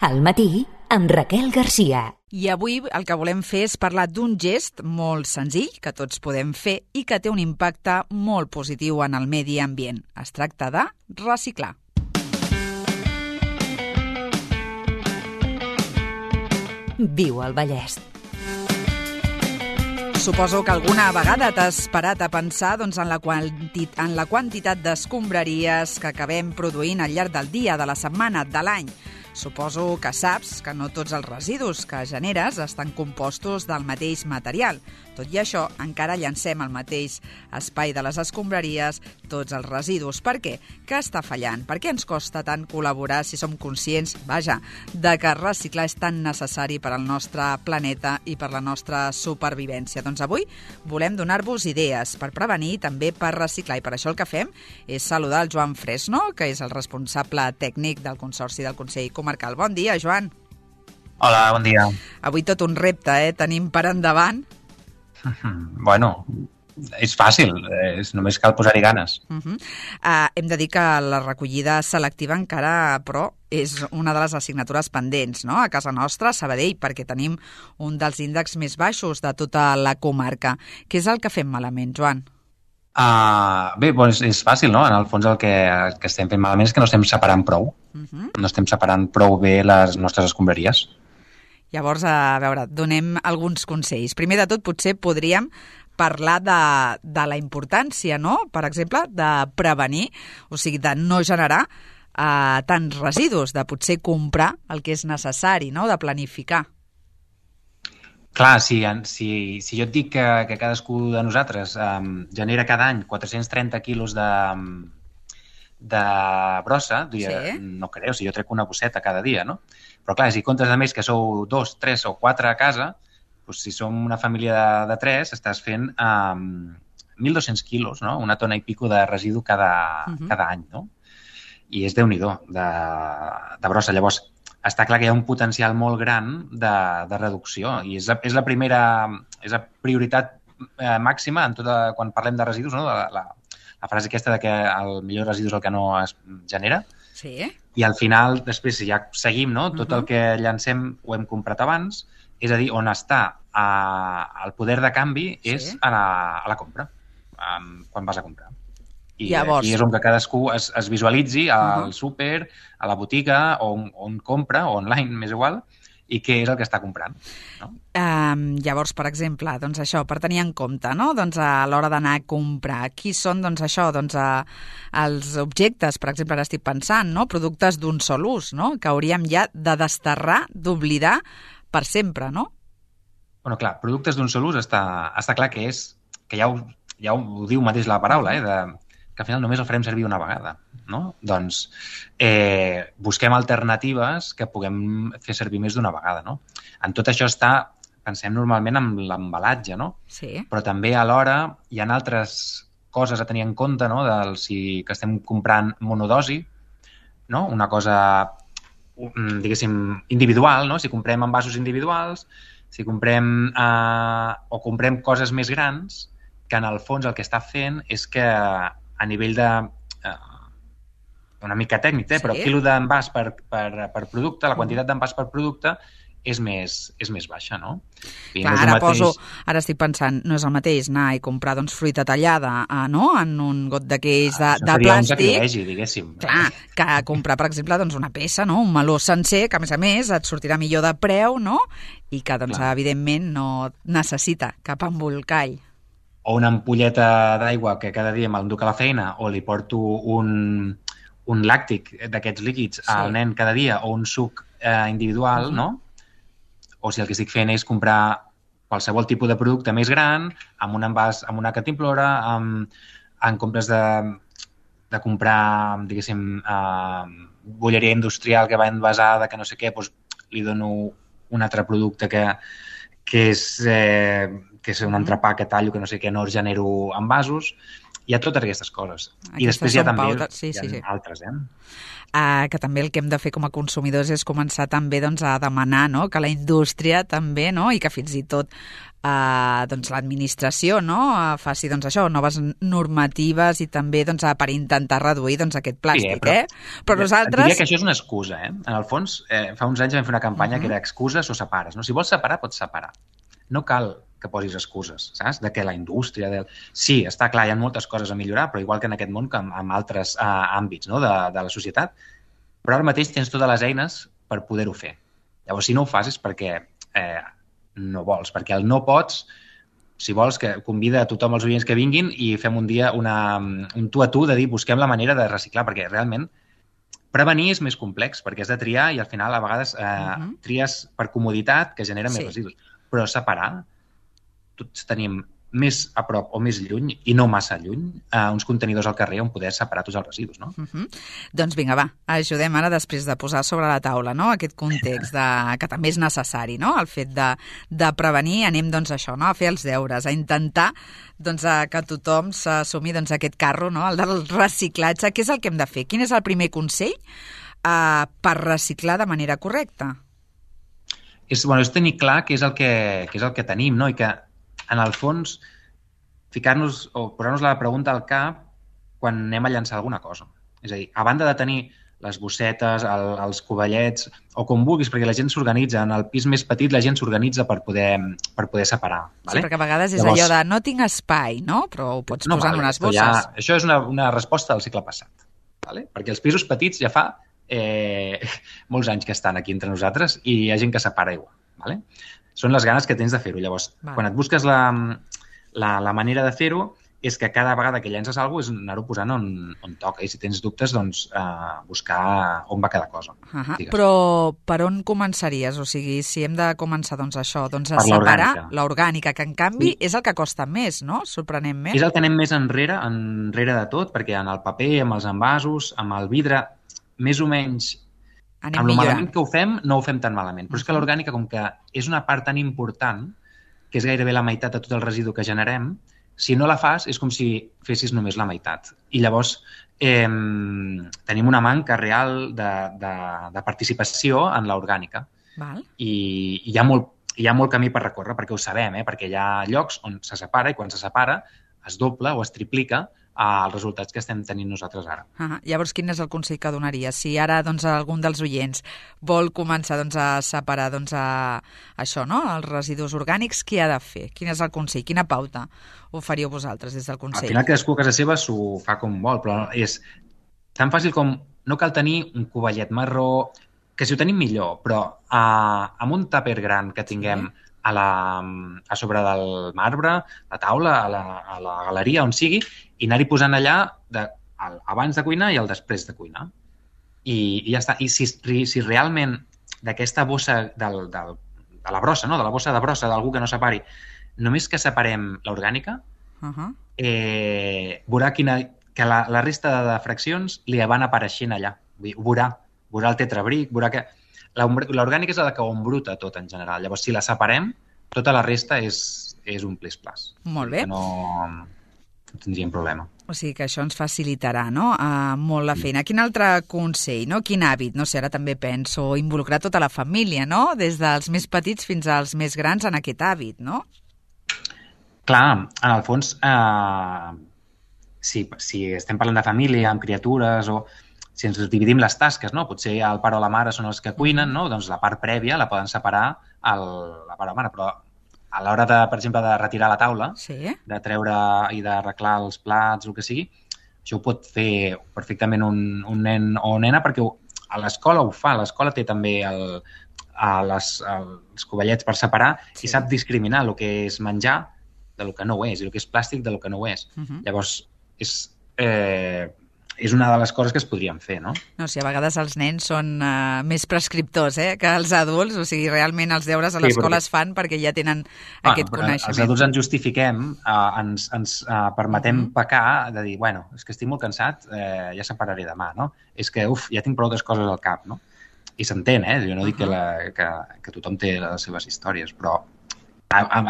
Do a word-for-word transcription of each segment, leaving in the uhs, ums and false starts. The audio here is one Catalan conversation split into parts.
Al matí, amb Raquel Garcia. I avui el que volem fer és parlar d'un gest molt senzill que tots podem fer i que té un impacte molt positiu en el medi ambient. Es tracta de reciclar. Viu al Vallès. Suposo que alguna vegada t'has parat a pensar doncs, en, la quantit, en la quantitat d'escombraries que acabem produint al llarg del dia, de la setmana, de l'any. Suposo que saps que no tots els residus que generes estan compostos del mateix material. Tot i això, encara llancem al mateix espai de les escombraries tots els residus. Per què? Què està fallant? Per què ens costa tant col·laborar si som conscients, vaja, de que reciclar és tan necessari per al nostre planeta i per la nostra supervivència? Doncs avui volem donar-vos idees per prevenir i també per reciclar. I per això el que fem és saludar el Joan Fresno, que és el responsable tècnic del Consorci del Consell Comarcal. Bon dia, Joan. Hola, bon dia. Avui tot un repte, eh? Tenim per endavant. Bueno, és fàcil, és, només cal posar-hi ganes. Uh -huh. uh, hem de dir que la recollida selectiva encara, però, és una de les assignatures pendents, no?, a casa nostra, a Sabadell, perquè tenim un dels índexs més baixos de tota la comarca. Què és el que fem malament, Joan? Uh, bé, doncs és fàcil, no? En el fons el que, el que estem fent malament és que no estem separant prou. Uh -huh. No estem separant prou bé les nostres escombraries. Llavors, a veure, donem alguns consells. Primer de tot, potser podríem parlar de, de la importància, no?, per exemple, de prevenir, o sigui, de no generar uh, tants residus, de potser comprar el que és necessari, no?, de planificar. Clar, si, si, si jo et dic que, que cadascú de nosaltres um, genera cada any quatre-cents trenta quilos de, de brossa, diria, sí. No creu, si jo trec una bosseta cada dia, no? Però clar, si comptes a més que sou dos, tres o quatre a casa, doncs si som una família de, de tres, estàs fent um, mil dos-cents quilos, no? Una tona i pico de residu cada, uh-huh. cada any, no? I és déu-n'hi-do de, de brossa. Llavors, està clar que hi ha un potencial molt gran de, de reducció i és la, és la primera, és la prioritat eh, màxima en tota, quan parlem de residus, no? De la, la, la frase aquesta de que el millor residu és el que no es genera. Sí. I al final, després, si ja seguim, no? Tot uh-huh. el que llancem ho hem comprat abans, és a dir, on està eh, el poder de canvi sí. és a la, a la compra, um, quan vas a comprar. I Llavors... aquí és on que cadascú es, es visualitzi al uh-huh. súper, a la botiga, on, on compra, o online, m'és igual, i què és el que està comprant. No? Um, llavors, per exemple, doncs això, per tenir en compte, no?, doncs a l'hora d'anar a comprar, qui són, doncs això, doncs a, els objectes, per exemple, ara estic pensant, no?, productes d'un sol ús, no?, que hauríem ja de desterrar, d'oblidar per sempre, no? Bueno, clar, productes d'un sol ús està, està clar que és, que ja ho, ja ho diu mateix la paraula, eh, de, que al final només el farem servir una vegada, no? Doncs eh, busquem alternatives que puguem fer servir més d'una vegada, no? En tot això està, pensem normalment en l'embalatge, no? Sí. Però també alhora hi ha altres coses a tenir en compte, no? Del si que estem comprant monodosi, no? Una cosa, diguéssim, individual, no? Si comprem envasos individuals, si comprem eh, o comprem coses més grans, que en el fons el que està fent és que a nivell de... Eh, una mica tècnic, eh? Sí. Però quilo d'envàs per, per, per producte, la quantitat d'envàs per producte és més, és més baixa, no? I clar, no és ara, mateix... poso, ara estic pensant, no és el mateix anar i comprar doncs, fruita tallada eh, no? En un got d'aquells de, ah, de plàstic. Un sacrilegi, diguéssim. Clar, que comprar, per exemple, doncs, una peça, no? Un meló sencer, que a més a més et sortirà millor de preu, no? I que, doncs, clar, evidentment, no necessita cap embolcall. O una ampolleta d'aigua que cada dia me'l duc a la feina o li porto un, un làctic d'aquests líquids sí. al nen cada dia o un suc eh, individual, uh-huh. no? O si el que estic fent és comprar qualsevol tipus de producte més gran, amb un envàs, amb una cantimplora, amb, en compres de, de comprar, diguéssim, eh, bolleria industrial que va envasada, que no sé què, doncs li dono un altre producte que, que és... Eh, que és un entrepà que tallo, que no sé què, no genero envasos. Hi ha totes aquestes coses. Aquestes I després hi ha també pautes. Sí, hi ha sí, sí. altres, eh? Uh, que també el que hem de fer com a consumidors és començar també doncs, a demanar, no?, que la indústria també, no?, i que fins i tot uh, doncs, l'administració, no?, uh, faci doncs, això, noves normatives i també doncs, uh, per intentar reduir doncs, aquest plàstic, sí, eh? Però, eh? però nosaltres... Diria que això és una excusa, eh? En el fons, eh, fa uns anys vam fer una campanya uh -huh. que era excuses o separes. No? Si vols separar, pots separar. No cal que posis excuses, saps? De que la indústria... Del... Sí, està clar, hi ha moltes coses a millorar, però igual que en aquest món, que en, en altres uh, àmbits, no?, de, de la societat, però ara mateix tens totes les eines per poder-ho fer. Llavors, si no ho fas és perquè eh, no vols, perquè el no pots, si vols, que convida a tothom els oients que vinguin i fem un dia una, un tu a tu de dir busquem la manera de reciclar, perquè realment prevenir és més complex, perquè has de triar i al final a vegades eh, uh-huh. tries per comoditat que genera sí. més residus. Però separar, tots tenim més a prop o més lluny, i no massa lluny, eh, uns contenidors al carrer on poder separar tots els residus, no? Uh-huh. Doncs vinga, va, ajudem ara després de posar sobre la taula, no?, aquest context de, que també és necessari, no?, el fet de, de prevenir, anem doncs a això, no?, a fer els deures, a intentar doncs, a que tothom s'assumi doncs, aquest carro, no?, el del reciclatge. Què és el que hem de fer? Quin és el primer consell eh, per reciclar de manera correcta? És, bueno, és tenir clar què és el que, què és el que tenim, no?, i que en el fons, ficar-nos o posar-nos la pregunta al cap quan anem a llançar alguna cosa. És a dir, a banda de tenir les bossetes, el, els covellets, o com vulguis, perquè la gent s'organitza. En el pis més petit la gent s'organitza per poder, per poder separar. Vale? Sí, perquè a vegades és Llavors, allò de no tinc espai, no? Però ho pots no, posar vale, en unes bosses. Ja, això és una, una resposta del segle passat. Vale? Perquè els pisos petits ja fa eh, molts anys que estan aquí entre nosaltres i hi ha gent que separa igual. Vale? Són les ganes que tens de fer-ho. Llavors, vale. quan et busques la, la, la manera de fer-ho, és que cada vegada que llences alguna cosa és anar-ho posant on, on toca. I si tens dubtes, doncs, eh, buscar on va cada cosa. Uh -huh. Però per on començaries? O sigui, si hem de començar doncs, això, doncs, a per separar l'orgànica, que en canvi sí. és el que costa més, no? Sorprenentment. És el que anem més enrere, enrere de tot, perquè en el paper, amb els envasos, amb el vidre, més o menys... Anem amb el millorant. malament que ho fem, no ho fem tan malament. Però és que l'orgànica, com que és una part tan important, que és gairebé la meitat de tot el residu que generem, si no la fas, és com si fessis només la meitat. I llavors eh, tenim una manca real de, de, de participació en l'orgànica. I, i hi, ha molt, hi ha molt camí per recórrer, perquè ho sabem, eh? Perquè hi ha llocs on se separa i quan se separa es dobla o es triplica els resultats que estem tenint nosaltres ara. Ah, llavors, quin és el consell que donaria? Si ara doncs, algun dels oients vol començar doncs, a separar doncs, a, això, no? els residus orgànics, què ha de fer? Quin és el consell? Quina pauta ho faríeu vosaltres des del Consell? Al final, cadascú a casa seva s'ho fa com vol, però és tan fàcil com no cal tenir un covellet marró, que si ho tenim millor, però eh, amb un tàper gran que tinguem sí. a, la, a sobre del marbre, la taula, a la, a la galeria, on sigui, i anar-hi posant allà de, el, abans de cuinar i el després de cuinar. I, i ja està. I si, si realment d'aquesta bossa del, del, de la brossa, no? de la bossa de brossa d'algú que no separi, només que separem l'orgànica, uh-huh. eh, veurà quina, que la, la resta de fraccions li van apareixent allà. Ho veurà. Veurà el tetrabric, veurà que... L'orgànica és la que ho embruta tot en general. Llavors, si la separem, tota la resta és, és un plis-plas. Molt bé. No, no tindríem problema. O sigui que això ens facilitarà, no?, uh, molt la feina. Quin altre consell, no? Quin hàbit? No sé, ara també penso involucrar tota la família, no?, des dels més petits fins als més grans en aquest hàbit, no? Clar, en el fons, eh, si, si estem parlant de família, amb criatures, o si ens dividim les tasques, no? Potser el pare o la mare són els que cuinen, no? Doncs la part prèvia la poden separar el, la pare o la mare, però a l'hora, de, per exemple, de retirar la taula, sí. de treure i d'arreglar els plats, el que sigui, això ho pot fer perfectament un, un nen o nena, perquè a l'escola ho fa. L'escola té també el, a les, els covellets per separar sí. i sap discriminar el que és menjar del que no ho és i el que és plàstic del que no ho és. Uh-huh. Llavors, és... Eh, és una de les coses que es podrien fer, no? No, sí, a vegades els nens són uh, més prescriptors eh, que els adults, o sigui, realment els deures a l'escola sí, es fan perquè ja tenen ah, aquest coneixement. Els adults ens justifiquem, uh, ens, ens uh, permetem uh-huh. pecar de dir, bueno, és que estic molt cansat, eh, ja separaré demà, no? És que, uf, ja tinc prou altres coses al cap, no? I s'entén, eh? Jo no uh-huh. dic que, la, que, que tothom té les seves històries, però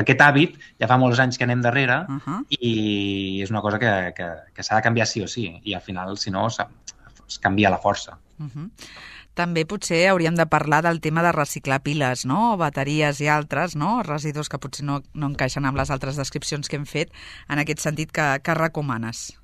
aquest hàbit ja fa molts anys que anem darrere uh -huh. i és una cosa que, que, que s'ha de canviar sí o sí, i al final, si no, es canvia la força. Uh -huh. També potser hauríem de parlar del tema de reciclar piles, no? Bateries i altres, no? Residus que potser no, no encaixen amb les altres descripcions que hem fet. En aquest sentit, que, que recomanes?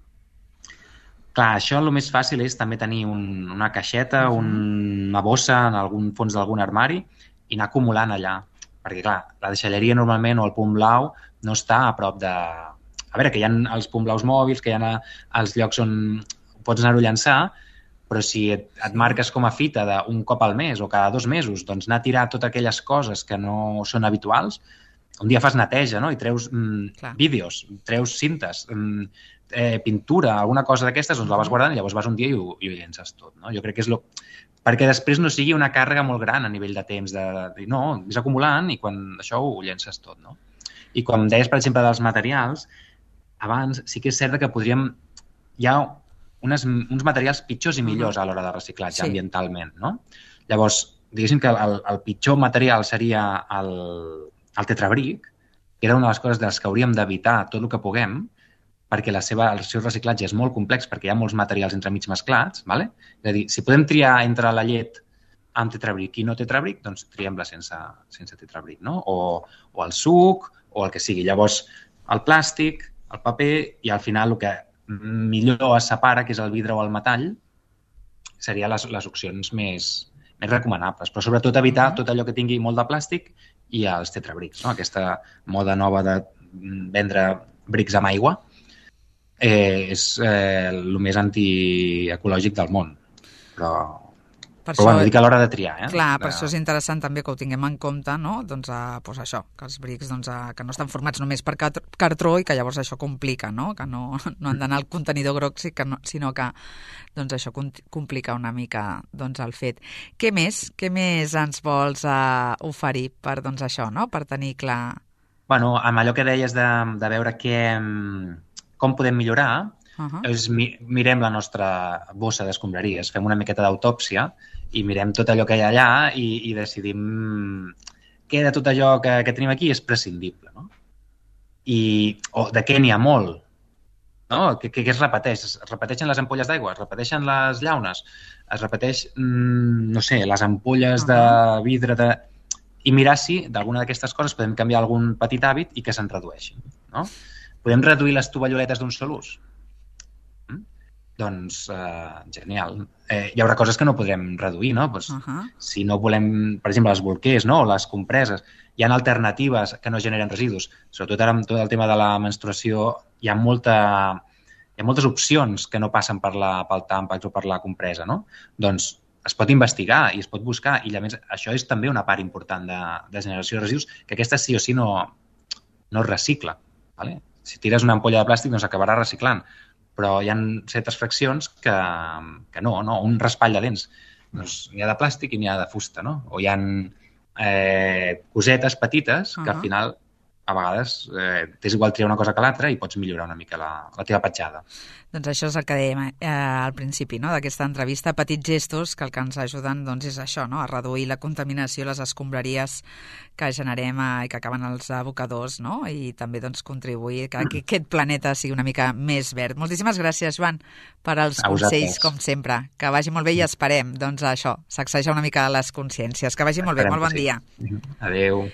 Clar, això el més fàcil és també tenir un, una caixeta, uh-huh. una bossa en algun fons d'algun armari i anar acumulant allà. Perquè, clar, la deixalleria normalment o el punt blau no està a prop de... A veure, que hi ha els punts blaus mòbils, que hi ha els llocs on pots anar-ho a llançar, però si et, et marques com a fita d'un cop al mes o cada dos mesos, doncs anar a tirar totes aquelles coses que no són habituals, un dia fas neteja, no? I treus mm, vídeos, treus cintes, mm, eh, pintura, alguna cosa d'aquestes, doncs la vas guardant i llavors vas un dia i ho, i ho llences tot, no? Jo crec que és lo... perquè després no sigui una càrrega molt gran a nivell de temps, de, de no, és acumulant i quan això ho llences tot, no? I com deies, per exemple, dels materials, abans sí que és cert que podríem... Hi ha unes, uns materials pitjors i millors a l'hora de reciclatge sí. ambientalment, no? Llavors, diguéssim que el, el pitjor material seria el, el tetrabric, que era una de les coses de les que hauríem d'evitar tot el que puguem, perquè la seva, el seu reciclatge és molt complex, perquè hi ha molts materials entremig mesclats, ¿vale? És a dir, si podem triar entre la llet amb tetrabric i no tetrabric, doncs triem-la sense, sense tetrabric, no? O, o el suc, o el que sigui. Llavors, el plàstic, el paper, i al final el que millor es separa, que és el vidre o el metall, serien les, les opcions més, més recomanables. Però sobretot evitar tot allò que tingui molt de plàstic i els tetrabrics, no? Aquesta moda nova de vendre brics amb aigua, Eh, és eh, el més antiecològic del món. Però, per però això, bueno, dic a l'hora de triar. Eh? Clar, per de... això és interessant també que ho tinguem en compte, no? Doncs, a, doncs això, que els brics doncs, a, que no estan formats només per cartró i que llavors això complica, no? Que no, no han d'anar al contenidor groc, sinó que doncs, això complica una mica doncs, el fet. Què més? Què més ens vols uh, oferir per doncs, això, no? Per tenir clar... Bueno, amb allò que deies de, de veure què... com podem millorar, uh-huh. és, mi, mirem la nostra bossa d'escombraries, fem una miqueta d'autòpsia i mirem tot allò que hi ha allà i, i decidim què de tot allò que, que tenim aquí és prescindible, no? I, o de què n'hi ha molt, no? Que, que, que es repeteix? Es repeteixen les ampolles d'aigua, es repeteixen les llaunes, es repeteix, mm, no sé, les ampolles uh-huh. de vidre de... I mirar si d'alguna d'aquestes coses podem canviar algun petit hàbit i que se'n redueixin, no? Podem reduir les tovalloletes d'un sol ús? Mm? Doncs, eh, genial. Eh, hi haurà coses que no podrem reduir, no? Pues, uh-huh. Si no volem, per exemple, els bolquers, no? O les compreses, hi ha alternatives que no generen residus. Sobretot ara amb tot el tema de la menstruació hi ha, molta, hi ha moltes opcions que no passen per la, pel tàmpax o per la compresa, no? Doncs es pot investigar i es pot buscar i a més això és també una part important de, de generació de residus, que aquesta sí o sí no, no es recicla, ¿vale? Si tires una ampolla de plàstic, doncs acabarà reciclant. Però hi ha certes fraccions que, que no, no. Un raspall de dents. Doncs n'hi ha de plàstic i n'hi ha de fusta, no? O hi ha eh, cosetes petites que uh-huh. al final, a vegades, eh, t'és igual triar una cosa que l'altra i pots millorar una mica la, la teva petjada. Doncs això és el que dèiem eh, al principi, no?, d'aquesta entrevista, petits gestos que el que ens ajuden doncs, és això, no?, a reduir la contaminació, les escombraries que generem eh, i que acaben als abocadors, no?, i també doncs, contribuir que, que aquest planeta sigui una mica més verd. Moltíssimes gràcies, Joan, per als consells, com sempre. Que vagi molt bé i esperem, doncs, això, sacsejar una mica les consciències. Que vagi molt bé, molt bon dia. Adéu.